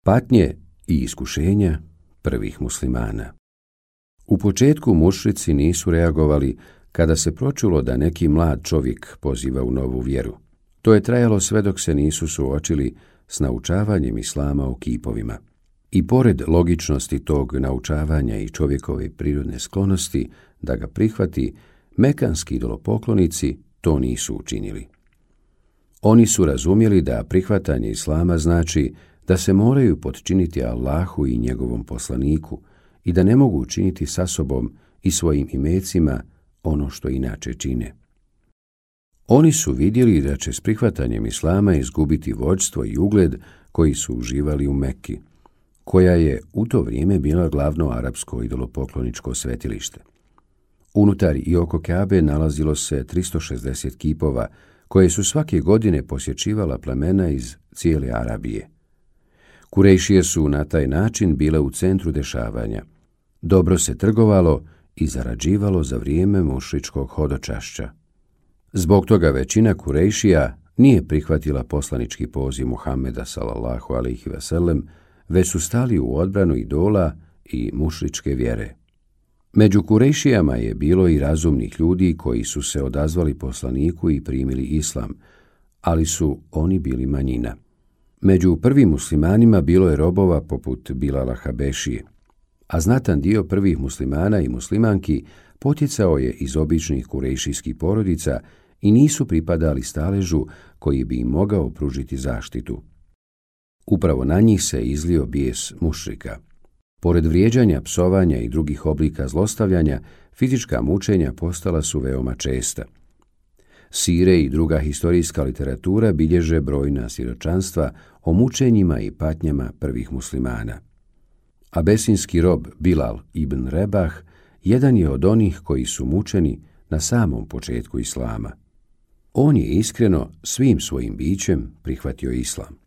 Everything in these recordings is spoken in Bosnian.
Patnje i iskušenja prvih muslimana. U početku mušrici nisu reagovali kada se pročulo da neki mlad čovjek poziva u novu vjeru. To je trajalo sve dok se nisu suočili s naučavanjem islama o kipovima. I pored logičnosti tog naučavanja i čovjekove prirodne sklonosti da ga prihvati, mekanski idolopoklonici to nisu učinili. Oni su razumjeli da prihvatanje islama znači da se moraju potčiniti Allahu i njegovom poslaniku i da ne mogu učiniti sa sobom i svojim imecima ono što inače čine. Oni su vidjeli da će s prihvatanjem islama izgubiti vođstvo i ugled koji su uživali u Mekki, koja je u to vrijeme bila glavno arapsko idolopokloničko svetilište. Unutar i oko Kabe nalazilo se 360 kipova koje su svake godine posjećivala plemena iz cijele Arabije. Kurejšije su na taj način bile u centru dešavanja. Dobro se trgovalo i zarađivalo za vrijeme mušričkog hodočašća. Zbog toga većina Kurejšija nije prihvatila poslanički poziv Muhameda sallallahu alejhi ve sellem, već su stali u odbranu idola i mušričke vjere. Među Kurejšijama je bilo i razumnih ljudi koji su se odazvali poslaniku i primili islam, ali su oni bili manjina. Među prvim muslimanima bilo je robova poput Bilala Habešije, a znatan dio prvih muslimana i muslimanki potjecao je iz običnih kurejšijskih porodica i nisu pripadali staležu koji bi im mogao pružiti zaštitu. Upravo na njih se izlio bijes mušrika. Pored vrijeđanja, psovanja i drugih oblika zlostavljanja, fizička mučenja postala su veoma česta. Sire i druga historijska literatura bilježe brojna svjedočanstva o mučenjima i patnjama prvih muslimana. Abesinski rob Bilal ibn Rebah jedan je od onih koji su mučeni na samom početku islama. On je iskreno svim svojim bićem prihvatio islam.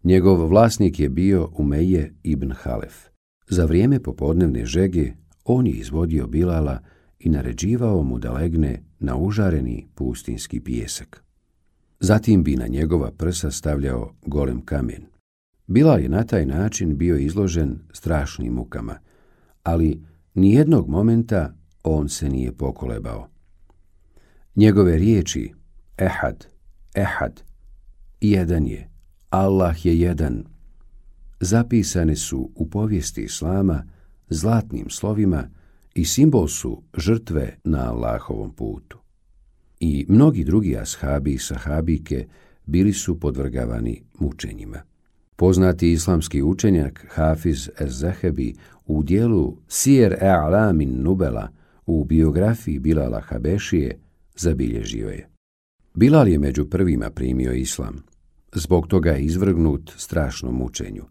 Njegov vlasnik je bio Umeje ibn Halef. Za vrijeme popodnevne žege on je izvodio Bilala i naređivao mu da legne na užareni pustinski pijesak. Zatim bi na njegova prsa stavljao golem kamen. Bilal je na taj način bio izložen strašnim mukama, ali nijednog momenta on se nije pokolebao. Njegove riječi Ehad, Ehad, jedan je, Allah je jedan, zapisane su u povijesti islama zlatnim slovima i simbol su žrtve na Allahovom putu. I mnogi drugi ashabi i sahabike bili su podvrgavani mučenjima. Poznati islamski učenjak Hafiz ez-Zahebi u dijelu Sijer A'lamin Nubela u biografiji Bilala Habešije zabilježio je: Bilal je među prvima primio islam. Zbog toga je izvrgnut strašnom mučenju.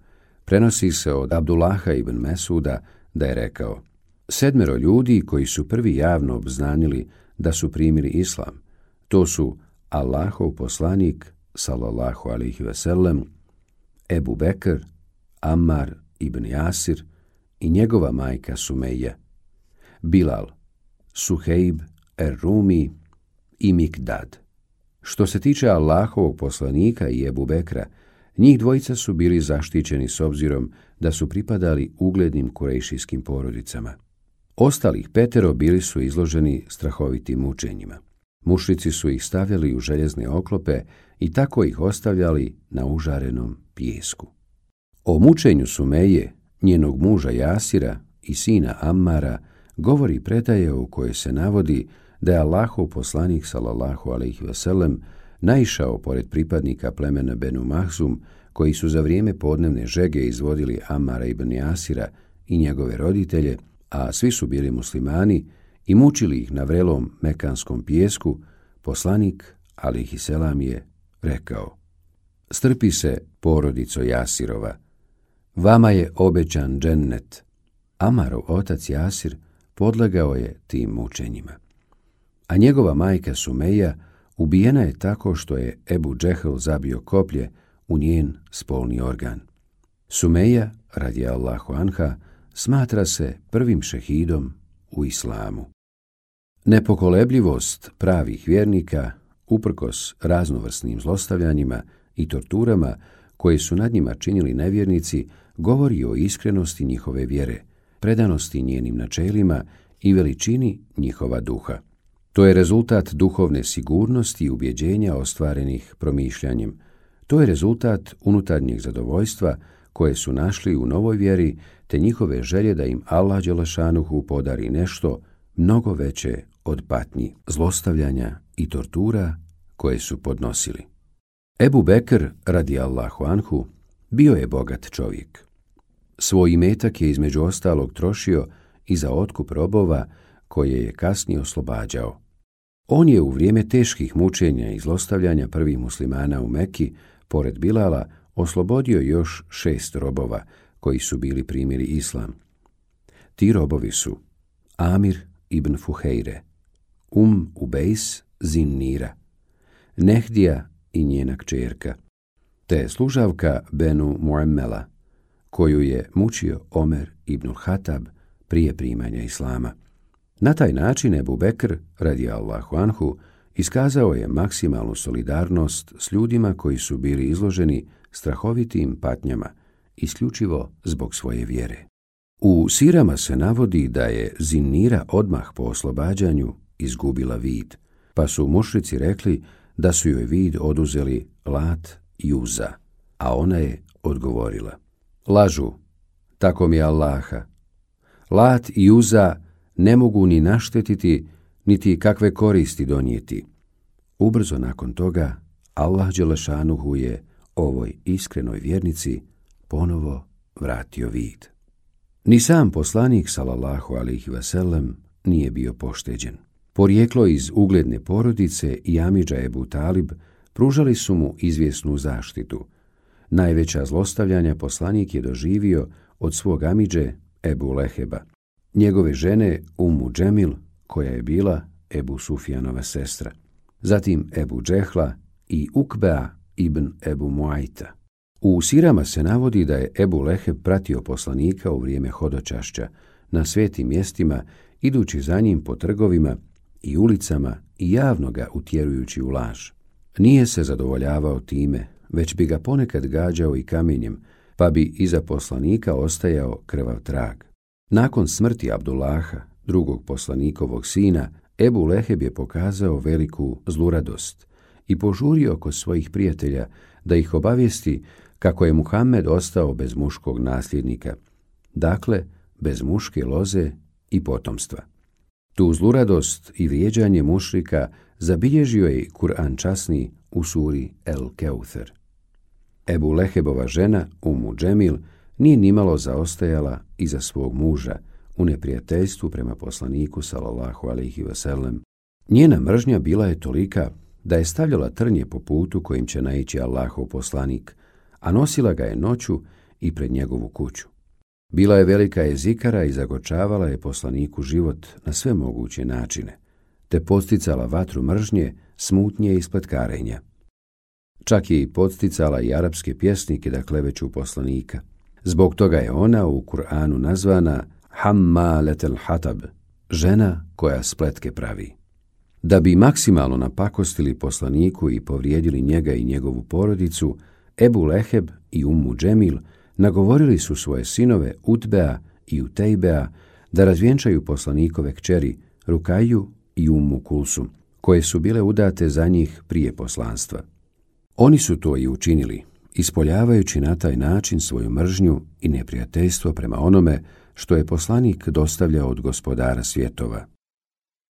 Prenosi se od Abdullaha ibn Mesuda da je rekao: 7 ljudi koji su prvi javno obznanili da su primili islam, to su Allahov poslanik sallallahu alejhi ve sellem, Ebu Bekr, Ammar ibn Jasir i njegova majka Sumeja, Bilal, Suhejb er-Rumi i Mikdad. Što se tiče Allahovog poslanika i Ebu Bekra, njih dvojica su bili zaštićeni s obzirom da su pripadali uglednim kurejšijskim porodicama. Ostalih 5 bili su izloženi strahovitim mučenjima. Mušrici su ih stavljali u željezne oklope i tako ih ostavljali na užarenom pijesku. O mučenju Sumeje, njenog muža Jasira i sina Ammara govori predaja u kojoj se navodi da je Allahov poslanik sallallahu alejhi ve sellem naišao pored pripadnika plemena Benu Mahzum koji su za vrijeme podnevne žege izvodili Ammara ibn Jasira i njegove roditelje, a svi su bili muslimani, i mučili ih na vrelom mekanskom pijesku. Poslanik alejhi selam je rekao: Strpi se, porodico Jasirova, vama je obećan džennet. Ammarov otac Jasir podlegao je tim mučenjima, a njegova majka Sumeja ubijena je tako što je Ebu Džehl zabio koplje u njen spolni organ. Sumeja, radijallahu anha, smatra se prvim šehidom u islamu. Nepokolebljivost pravih vjernika, uprkos raznovrsnim zlostavljanjima i torturama koje su nad njima činili nevjernici, govori o iskrenosti njihove vjere, predanosti njenim načelima i veličini njihova duha. To je rezultat duhovne sigurnosti i ubjeđenja ostvarenih promišljanjem. To je rezultat unutarnjeg zadovoljstva koje su našli u novoj vjeri, te njihove želje da im Allah dželešanuhu podari nešto mnogo veće od patnji, zlostavljanja i tortura koje su podnosili. Ebu Bekr, radijallahu anhu, bio je bogat čovjek. Svoj imetak je između ostalog trošio i za otkup robova koje je kasnije oslobađao. On je u vrijeme teških mučenja i zlostavljanja prvih muslimana u Meki, pored Bilala, oslobodio još 6 robova koji su bili primili islam. Ti robovi su Amir ibn Fuhejre, Ubejs Zinnira, Nehdija i njena kćerka, te služavka Benu Muammela, koju je mučio Omer ibn Hatab prije primanja islama. Na taj način Ebu Bekr, radijallahu anhu, iskazao je maksimalnu solidarnost s ljudima koji su bili izloženi strahovitim patnjama, isključivo zbog svoje vjere. U sirama se navodi da je Zinnira odmah po oslobađanju izgubila vid, pa su mušrici rekli da su joj vid oduzeli Lat i Uza, a ona je odgovorila: lažu, tako mi Allaha. Lat i Uza ne mogu ni naštetiti, niti kakve koristi donijeti. Ubrzo nakon toga Allah dželešanuhu je ovoj iskrenoj vjernici ponovo vratio vid. Ni sam poslanik sallallahu alejhi ve sellem nije bio pošteđen. Porijeklo iz ugledne porodice i amidža Ebu Talib pružali su mu izvjesnu zaštitu. Najveća zlostavljanja poslanik je doživio od svog amidže Ebu Leheba, njegove žene Ummu Džemil, koja je bila Ebu Sufjanova sestra, zatim Ebu Džehla i Ukbea ibn Ebu Muajta. U sirama se navodi da je Ebu Leheb pratio poslanika u vrijeme hodočašća na svetim mjestima, idući za njim po trgovima i ulicama i javno ga utjerujući u laž. Nije se zadovoljavao time, već bi ga ponekad gađao i kamenjem, pa bi iza poslanika ostajao krvav trag. Nakon smrti Abdullaha, drugog poslanikovog sina, Ebu Leheb je pokazao veliku zluradost i požurio kod svojih prijatelja da ih obavijesti kako je Muhammed ostao bez muškog nasljednika, dakle bez muške loze i potomstva. Tu zluradost i vrijeđanje mušrika zabilježio je Kur'an časni u suri El Keuther. Ebu Lehebova žena Ummu Džemil nije nimalo zaostajala iza svog muža u neprijateljstvu prema poslaniku sallallahu alejhi ve sellem. Njena mržnja bila je tolika da je stavljala trnje po putu kojim će naići Allahov poslanik, a nosila ga je noću i pred njegovu kuću. Bila je velika jezikara i zagorčavala je poslaniku život na sve moguće načine, te podsticala vatru mržnje, smutnje i spletkarenja. Čak je i podsticala i arapske pjesnike da kleveću poslanika. Zbog toga je ona u Kur'anu nazvana Hammaletel Hatab, žena koja spletke pravi. Da bi maksimalno napakostili poslaniku i povrijedili njega i njegovu porodicu, Ebu Leheb i Ummu Džemil nagovorili su svoje sinove Utbea i Utejbea da razvjenčaju poslanikove kćeri Rukaju i Ummu Kulsum, koje su bile udate za njih prije poslanstva. Oni su to i učinili, ispoljavajući na taj način svoju mržnju i neprijateljstvo prema onome što je poslanik dostavljao od gospodara svjetova.